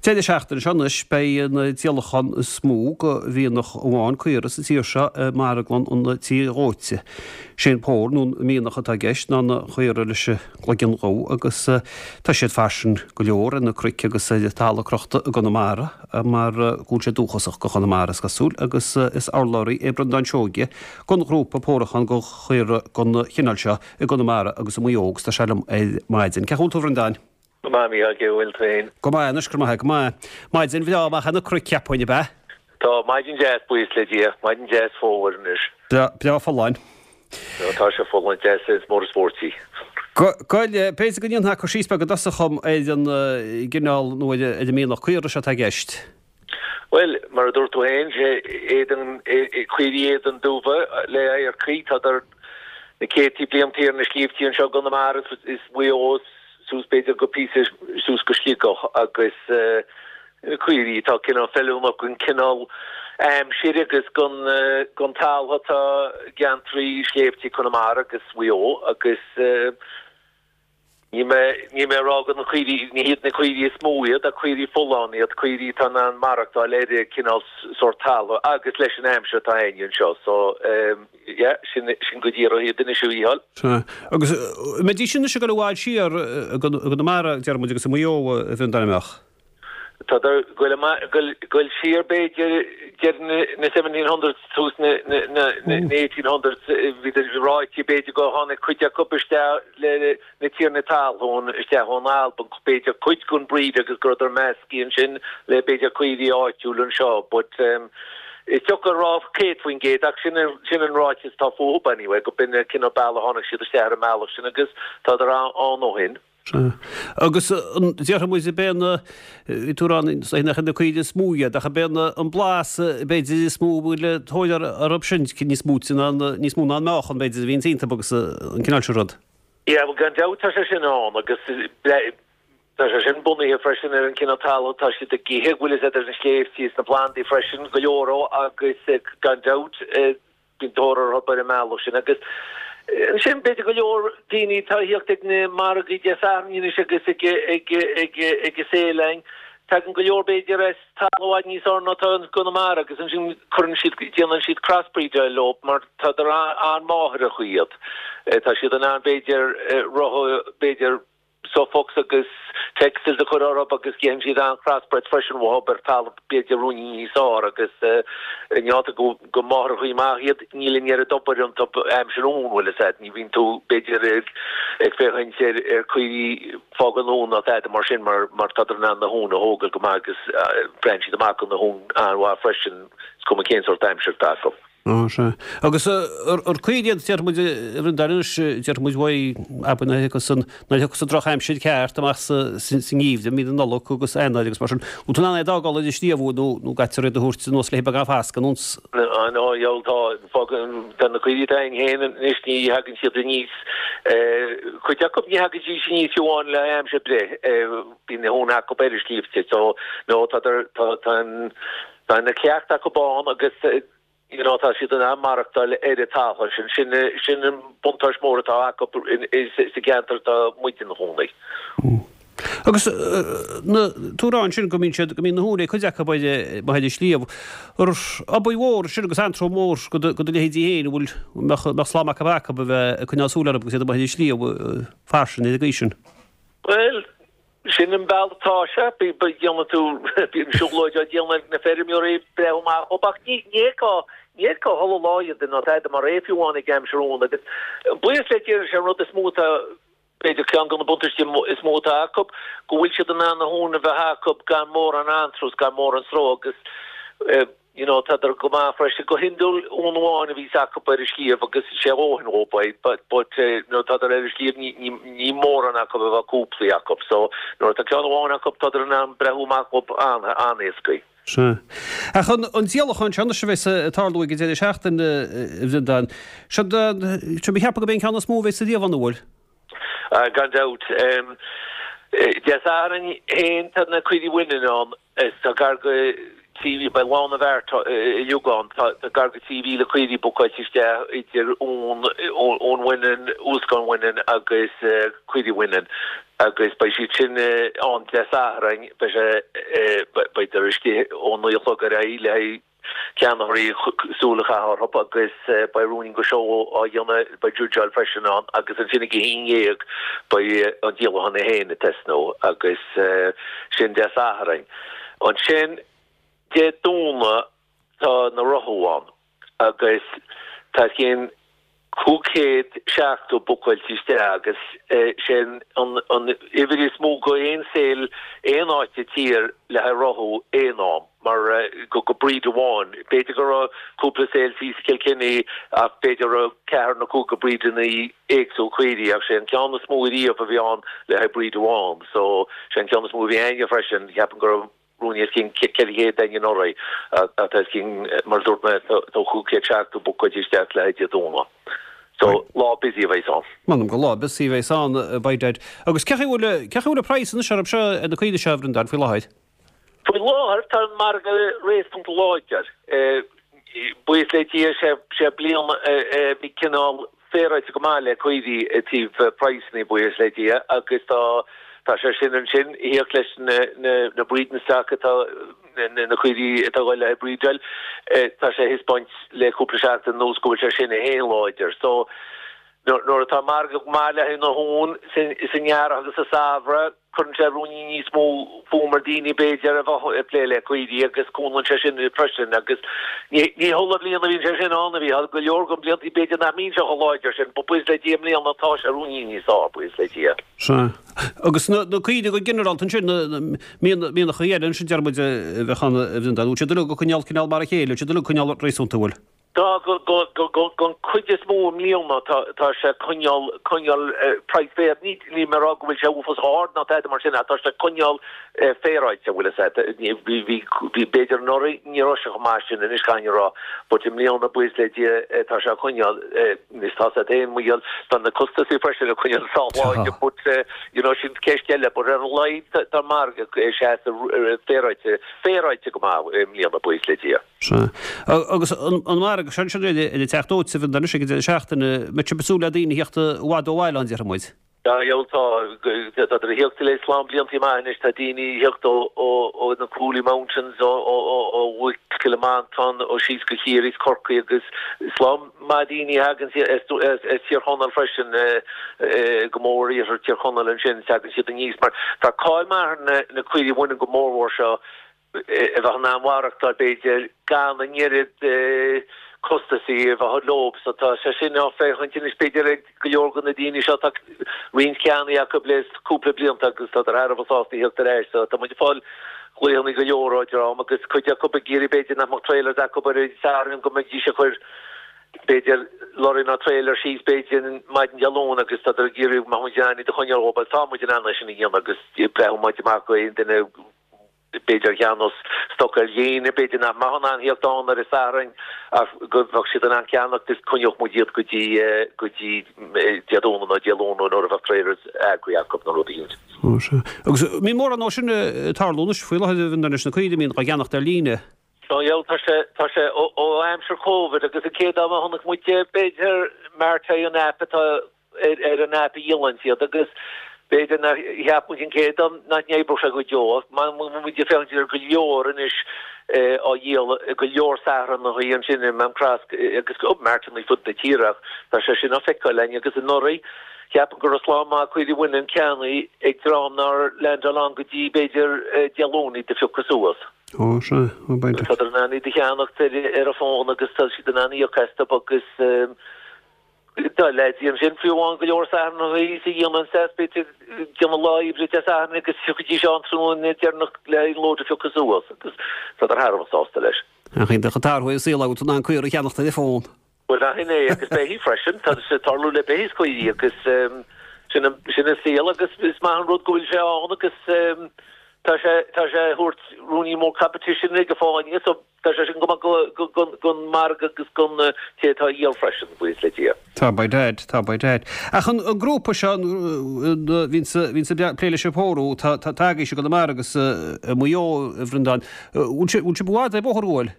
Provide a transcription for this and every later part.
Deireadh seachtaine seo anois beidh an díolachán is mó go mhianach amháin caora sa tír seo i marglann an tí dhóite. Sé an pór nó an mianach atá i gceist ná na caora leis an gcloigeann dhubh agus tá siad fairsing go leor ar na cnoic agus ar talamh crochta i gConamara mar go bhfuil sé dúchasach go Chonamara is cosúil agus is urlabhraí é Breandán Seoige gon ghrúpa pórúcháin go chaora gon chineál seo i gConamara agus i Maigh Eo agus tá sé liom ar maidin. Cén chaoi a bhfuil tú a Bhreandáin? Go maith, Mícheál, cén chaoi a bhfuil tú féin? Go maith anois, go maith, go maith. Maidin bhreá amach ar na cnoic, cheapfainn, ab ea? Tá, maidin deas, buíochas le Dia. Maidin deas fómhair anois. Breá, breá folláin. Tá sé folláin deas is mór is spóirt í. Go, b'fhéidir go ndéanfá cur síos beag i dtosach dhom ar an gcineál nó ar an mianach caora seo atá i gceist. Bhuel, mar a dúirt tú féin, sé éadan, caoirigh éadan dubha le adharcaí, tádar na céadtaí bliantaí ar na sléibhtí anseo i gConamara is Maigh Eo suas b'fhéidir go píosa suas go Sligeach agus na caoirigh atá cineál feiliúnach don cineál aimsir agus don don talamh atá i gceantraí sléibhtí Conamara agus Mhaigh Eo agus Níl mé, níl mé ag rá gur na caoirigh, ní hiad na caoirigh is mó iad, ach caoirigh folláin iad, caoirigh atá in ann maireachtáil ar an cineál sórt talamh agus leis an aimsir atá a'inne anseo. So, yeah, sin, sin go díreach iad anois a Mhícheáil. Sea. Agus an mbeidís anois ag dul i bhfad siar i gConamara, deir muid, agus i Maigh Eo, a Bhreandáin, an mbeadh? Tádar ag goil siar b'fhéidir deireadh na 1700s tús na 1800s bhíodar ráite b'fhéidir go tháinig cuid acu isteach le na tiarnaí talún isteach ón Albain b'fhéidir cuid den breed agus go rabhadar measctha ansin le b'fhéidir caoirigh áitiúil anseo but is deacair a rá 100% ach sin an ráiteas atá fúthu anyway go b'in an cineál bealach a tháinig siad isteach ar an mbealach sin agus tádar ann ó shin. Sea. Agus an déarfaidh muid ab é na, bhí tú ag rá nach iad na caoirigh is mó iad, ach ab é an blas b'fhéidir is mó a bhfuil tóir orthu sin, níos mó ná, níos mó ná an meáchan b'fhéidir a bhíonns iontu agus an cineál sin rud. Yeah, bhuel gan dabht tá sé sin ann agus tá sé sin bunaithe freisin ar an cineál talamh atá siad ag ithe, bhfuil fhios a'd ar na sléibhtí is na plandaí freisin, go leor agus gan dabht, Bíonn tóir orthu ar an mbealach sin agus ansin b'fhéidir go leor daoine atá a thíocht ag na margaí Dé Sathairn anois agus ag ag ag ag an sale-ann, tagann go leor b'fhéidir as talamh i bhfad níos fearr ná atá i gConamara agus ansin cuireann siad, déanann siad crossbreedáil leo mar tádar an-mháithreach iad. Tá siad in ann b'fhéidir rotha b'fhéidir Suffolks agus Texels a chur orthu agus déanann siad an-crossbred freisin uathu ar talamh b'fhéidir ruainnín níos fearr agus ainneoin go gur máithreachaí maith iad níl an oiread obair iontu aimsir uan bhfuil fhios a'd ní bhíonn tú b'fhéidir ag ag féachaint ar ar caoirigh fágáil uan ná tada mar sin mar mar tádar in ann na huain a thógáil go maith agus braitheann siad amach do na huain an-mhaith freisin is cuma cén sórt aimsir atá acu. Á, sea. Agus ar caoirigh iad, déarfaidh muid, a Bhreandáin anois, déarfaidh muid uaidh, abair, nuair a thiocfas an, nuair a thiocfas an drochaimsir ceart amach sa, sa ngeimhreadh, mí na Nollag agus Eanáir agus mar sin, bhfuil tú in ann iad a fhágáil ar an sliabh nó, nó caithfear iad a thabhairt anuas le beagán fascadh anuas? Á, no, gheall, tá, fágann, tá na caoirigh atá againn féin anois, ní thagann siad aníos, cuid acu ní thagann siad aníos fiú amháin le aimsir breá, bíonn na huain acu ar an sliabhte, so, no, tá, tá, tá an, Tá an cleachtadh acu ann agus you know tá siad in ann maireachtáil ar an talamh sin. Sin sin an buntáiste mór atá acu sa gceantar atá muid ina chónaí. Agus na tú ag rá ansin go mbíonn siad go mbíonn na huain ag cuid acu ar amuigh ar an sliabh. Ar obair mhór sin agus antró mór go do go do leithéidí féin an bhfuil mbeadh mbeadh slám acu acu a bheith ag coinneáil súil orthu agus iad amuigh ar an sliabh fairsing ar an gcaoi sin. Bhuel, Sin an bealach atá sé. Déanann tú, bíonn siúlóid á déanamh ag na feirmeoirí ag breathnú amach dhóibh ach ní fheicfeá, ní fheicfeá chuile lá iad ná tada mar é fiú amháin ag aimsir uan agus buíochas le Dia sé an rud is mó atá, b'fhéidir ceann de na buntáistí is mó atá acu, go bhfuil siad in ann na huain a bheith acu gan mórán antrós, gan mórán stró agus You know, tádar go maith freisin. Go hiondúil, uan amháin a bhíos acu ar an sliabh agus sé a dhóthain dhóibh é, but, but nuair atádar ar an sliabh ní, ní, ní mórán acu a bheadh cúplaí acu. So, nuair atá ceann amháin acu, tádar in ann breathnú amach dhóibh an-éascaí. Sea. Ach an, an díolachán seo anois a bheas ag tarlú ag an deireadh seachtaine, a Bhreandáin, seo, seo mé cheapadh gurb é an ceann is mó a bheas riamh ann, an bhfuil? Gan dabht. Dé Sathairn féin tá na caoirigh bhaineann ann. Tá gar go 3,000, beidh lá na bhfeart uilig ann, tá gar go 3,000 caoirigh bookáilte isteach idir uan bhaineann, uascáin bhaineann agus caoirigh bhaineann agus beidh siad sin ann Dé Sathairn. Beidh sé. istigh ó 9 a chlog ar aghaidh le haghaidh ceannaitheoirí súil a chaitheamh orthu agus beidh ruainnín de seó á dhéanamh, beidh judgeáil freisin ann agus ansin ag a 11 beidh an díolachán é féin ag tosnú agus sin Dé Sathairn. Ansin Dé Domhnaigh tá na rothú ann agus tá os cionn 570 bookáilte isteach agus sé an uimhir is mó go aon sale aon áit sa tír le haghaidh rothú aon am mar go go breed amháin. B'fhéidir go raibh cúpla sale thíos i Kilkenny ach b'fhéidir go raibh ceathrar nó cúigear breedanna éagsúil caoirigh ach sé an ceann is mó ariamh a bhí ann le haghaidh breed amháin so sé an ceann is mó a bhí a'inne freisin. Cheapfainn go raibh ruainnín os cionn 400 a'inne anuraidh tá os cionn, mar a dúirt mé, tá 570 bookáilte isteach le haghaidh Dé Domhnaigh. So, lá busy a bheas ann. M'anam gur lá busy a bheas ann, by dad. Agus cé chaoi bhfuil, cé chaoi bhfuil an praghas anois orthu seo, ar na caoirigh seo, a Bhreandáin, faoi láthair? Faoi láthair tá an margadh réasúnta láidir. Buíochas le Dia, sé bliain a bhí cineál féaráilte go maith le caoirigh i dtaobh praghsanna, buíochas le Dia, agus tá tá sé sin ansin ag theacht leis na na na breeding stock atá na na caoirigh atá ag dul le haghaidh breedáil, tá sé ag thaispeáint le cúpla seachtain anuas go bhfuil sé sin é féin láidir. So nuair atá margadh maith le haghaidh na huan san earrach agus sa samhradh, Cuireann sé ruainnín níos mó fuaim ar daoine b'fhéidir a bheadh ag plé le caoirigh agus cúnann sé sin freisin agus ní chuile bhliain a bhíonn sé sin ann a bhí, tá go leor de bliantaí b'fhéidir nach mbíonn sé chomh láidir sin but buíochas le Dia i mbliana tá sé ruainnín níos fearr, buíochas le Dia. Sea. Agus na caoirigh go ginearálta ansin, na mianachaí eile ansin deir muid a bheadh ann a Bhreandáin, bhfuil siad uilig ag coinneáil cineál mar a chéile, bhfuil siad uilig ag coinneáil réasúnta, bhfuil? Tá, don chuid is mó i mbliana tá sé ag coinneáil, coinneáil praghas fair, ní, níl mé ag rá go bhfuil sé uafásach ard ná tada mar sin ach tá sé ag coinneáil féaráilte, bhfuil a fhios agat. Bhí, bhí, bhí, b'fhéidir anuraidh ní raibh sé chomh maith sin anois caithfidh mé a rá but i mbliana buíochas le Dia tá sé ag coinneáil, anois tá a fhios agat féin mar gheall, tá na costasaí freisin ag coinneáil sách láidir but you know sin ceist eile but ar a laghad tá an margadh ag seasamh féaráilte, féaráilte go maith i mbliana buíochas le Dia. Sea. Agus an margadh seo ansin ar an Teach Dóite, a Bhreandáin, anois ag an deireadh seachtaine, mbeidh sibh ag súil le daoine a theacht i bhfad ó bhaile ann, déarfaidh muid. Tá, gheall, tá. Tá ag theacht le slám bliantaí maith anois, tá daoine ag theacht ó na Cooley Mountains, ó Chill Mhantáin, ó síos go Ciarraí is Corcaigh agus slám maith daoine a thagann as Tír Chonaill freisin, go mór iarthar Tír Chonaill ansin, tagann siad aníos mar tá cáil maith ar na caoirigh bhaineann go mórmhór seo a bheith in ann maireachtáil, b'fhéidir, gan an oiread costasaí a bheith leo. So tá sé sin á féachaint anois, b'fhéidir, ag go leor de na daoine seo. Tá roinnt ceannaithe acu le cúpla blianta agus tádar thar a bheith sásta a theacht ar ais. So tá muid ag fáil glaochanna go leor ó dream agus cuid acu ag iarraidh, b'fhéidir, nach mbeadh trailers acu ar an Satharn go mbeidís ag cur, b'fhéidir, lorry nó trailer síos, b'fhéidir, maidin Dé Luain agus tádar ag iarraidh mbeadh muid in ann iad a choinneáil dhóibh. Tá muid in ann é sin a dhéanamh agus breathnaíonn muid amach go aon duine b'fhéidir a cheannós stoc ar líne, b'fhéidir nach mbeadh in ann theacht ann ar an Satharn ach go mbeadh siad in ann ceannacht is coinneodh muid iad go dtí go dtí Dé Domhnaigh nó Dé Luain nó nuair a bheadh trailers eagraithe acu nó rud eicínt. Ó sea. Agus mbíonn mórán dó sin ag tarlú anois faoi láthair a Bhreandáin leis na caoirigh a mbíonn á gceannacht ar líne. Ó yeah, tá sé, tá sé ó aimsir Covid agus an chéad am a chonaic muid b'fhéidir MartEye an app atá ar an aip a dhíolann siad agus b'fhéidir nár cheap muid an chéad am nach n-oibreodh sé go deo ach tá muid ag féachaint ar go leor anois á dhíol go leor Satharnachaí ansin i Mám Cross agus martannaí fud na tíre ach tá sé sin á feiceáil againn agus anuraidh cheapfainn go raibh slám maith caoirigh bhaineann ceannaithe ag dream nár leaindeáil ann go dtí b'fhéidir Dé Luain iad a phiocadh suas. Ó sea, ó b'fhéidir. Tádar in ann iad a cheannacht ar an bhfón agus tá siad in ann íoc astu agus Tá leaids ansin fiú amháin go leor Satharnachaí is a dhéanann seas b'fhéidir déanamh lá oibre Dé Sathairn agus thiocfaidís ann tráthnóna deireanach le an lód a phiocadh suas agus tádar thar a bheith sásta leis. Ach iontach an t-athrú ar an saol agat in ann caora a cheannacht ar an bhfón. Bhuel ach sin é agus beithígh freisin, tá sé ag tarlú le beithígh is caoirigh agus sin an sin an saol agus is maith an rud go bhfuil sé ann agus tá sé tá sé ag thabhairt ruainnín mór competition ag an fáinne so Tá sé sin go maith don margadh agus don té atá á dhíol freisin, buíochas le Dia. Tá by dad, tá by dad. Ach an grúpa seo, a bhíonns ag plé leis an phórú, tá tagaithe go na margadh i Maigh Eo, a Bhreandáin. Bhfuil sibh i bhfad ar bóthar bhfuil?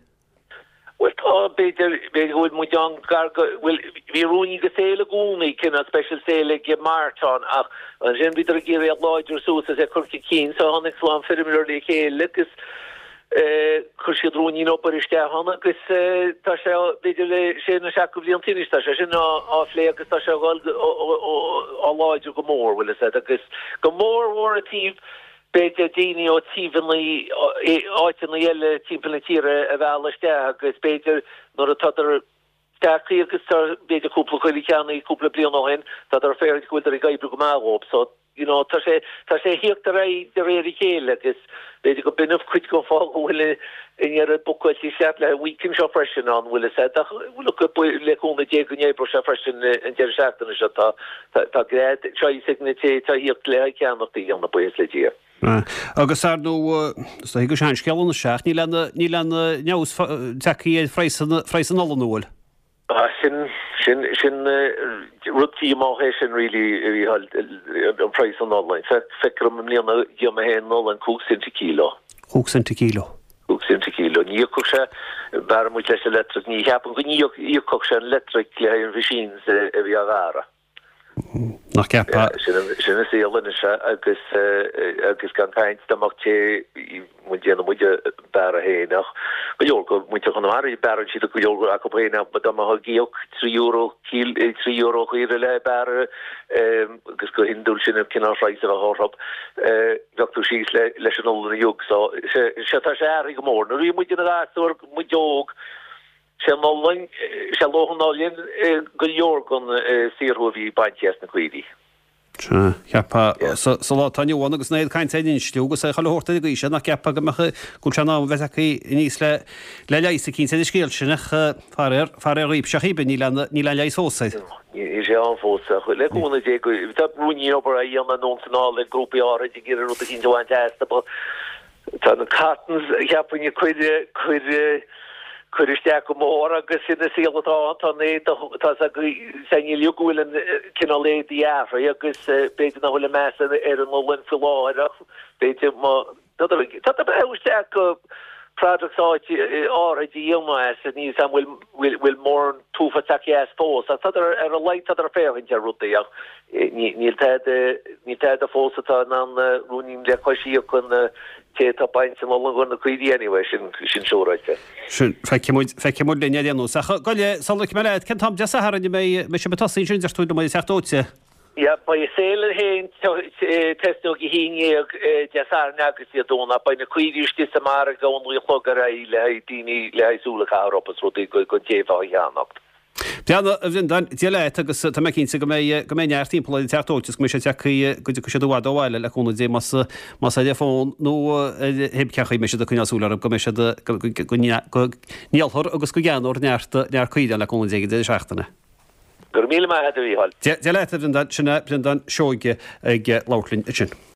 Bhuel tá, b'fhéidir, b'fhéidir go bhfuil muid ann gar go, bhuel, bhí ruainnín de sale i gcónaí, cineál special sale ag mart ann ach ansin bhíodar ag iarraidh é a láidriú suas is é a chur chun cinn so tháinig slám feirmeoirí le chéile agus. Chuir siad ruainnín obair isteach ann agus tá sé, b'fhéidir le sé nó seacht de bhlianta anois, tá sé sin á phlé agus tá sé á dhul á láidriú go mór, bhfuil fhios a'd, agus go mór mhór i dtaobh, b'fhéidir, daoine ó taobhanna, áiteanna eile timpeall na tíre a mhealladh isteach agus b'fhéidir nuair atádar tagtha agus tá, b'fhéidir, cúpla coill ceannaithe cúpla bliain ó shin, tádar ag féachaint go bhfuiltear ag oibriú go maith dhóibh so. You know, tá sé, tá sé a thíocht ar aghaidh de réir a chéile agus b'fhéidir go b'in cuid den fáth go bhfuil an oiread bookáilte isteach le an weekend seo freisin ann, bhfuil fhios a'd, ach look, le cúnamh Dé go n-oibreoidh sé freisin an deireadh seachtaine seo, tá, tá, tá gread choice ag na té atá a thíocht le haghaidh ceannacht a dhéanamh, buíochas le Dia. Agus ar ndóigh, is dóigh gur seanscéal anois ach níl aon, níl aon fheabhas tagtha ar phraghas an, phraghas an olann, an bhfuil? Ah, sin, sin, sin rud díomách é sin really, a Mhícheáil, an praghas an olann. Feictear dom i mbliana dhíol mé féin olann 5 cent an kilo. 5 cent an kilo. 5 cent an kilo. Ní íocfadh sé, bhearr muid leis an leictric, ní cheapaim go n-íocfadh sé an leictric le haghaidh an machines a bhí á bhearradh. Nach gceapfá. Sin an saol anois agus agus gan caint dá mbeadh té muid déanann muid bearradh féin ach go leor go muintir Chonamara bearrann siad go leor acu féin ach dá mbeifeá ag íoc €3 €3 an chaora le bearradh agus go hiondúil sin an cineál phraghas a bheadh orthu bheadh tú síos leis an olann a jug so sé tá sé athraithe go mór. Nuair a bhí muid ina ghasúir muid óg Sé an olann, sé luach an olainn go leor den saothrú a bhí bainte as na caoirigh. Sea, cheapfá, sa lá atá inniu ann agus an oiread cainte ar insliú agus chuile shórt ar an gcaoi sin, nach gceapfá go mbeadh, go bhfuil sé in am a bheith tagtha aníos le le leigheas eicínt ar an scéal sin ach faraor, faraor dhaoibhse ach cibé, níl aon, níl aon leigheas fós air. Níl sé ann fós ach le cúnamh Dé go, tá ruainnín obair á dhéanamh anonn is anall ag grúpaí áirid ag iarraidh rud eicínt a bhaint astu but Tá na cottons, cheapfainn, ag cur, cur, cur isteach go mór agus sin an saol atá ann. Tá an éadach, tá a fhios againn uilig go bhfuil an cineál éadaí athraithe agus b'fhéidir nach bhfuil an meas ar an olann faoi láthair ach b'fhéidir má, tá tá isteach go products áit áirithe a dhéanamh as, níl a fhios agam bhfuil, bhfuil mórán tufa tagtha as fós ach tá ar a laghad tá ag féachaint ar rudaí ach Níl tada, níl tada fós atá in ann ruainnín le cois íoc an té atá ag baint an olann do na caoirigh anyway, sin, sin siúráilte. Sin, feicfidh muid, feicfidh muid linn ar aon nós. Ach gabh i leith, sula ligfidh mé leat, cén t-am Dé Sathairn a mbeidh, mbeidh sibh ag tosaí ansin, deir tú liom, ag an Teach Dóite? Yeah, beidh an sale féin tosnóidh ag a haon dhéag Dé Sathairn agus Dé Domhnaigh. Beidh na caoirigh istigh sa margadh ón naoi a chlog ar aghaidh le haghaidh daoine le haghaidh súil a chaitheamh orthu is rudaí don té atá á cheannacht. Breathnaigh, a Bhreandáin, Dia leat agus tá mé cinnte go mbeidh, go mbeidh neart timpeall ar an Teach Dóite is go mbeidh sé tagtha, go dtiocfaidh siad i bhfad ó bhaile le cúnamh Dé más, más ar an bhfón nó ar cibé cén chaoi a mbeidh siad ag coinneáil súil orthu go mbeidh siad, go, go, go ndíolfar agus go gceannófar neart, neart caoirigh le cúnamh Dé ag an deireadh seachtaine. Go raibh míle maith agat a Mhícheáil. Dia leat a Bhreandáin, sin é Breandán Seoige ag labhairt linn ansin.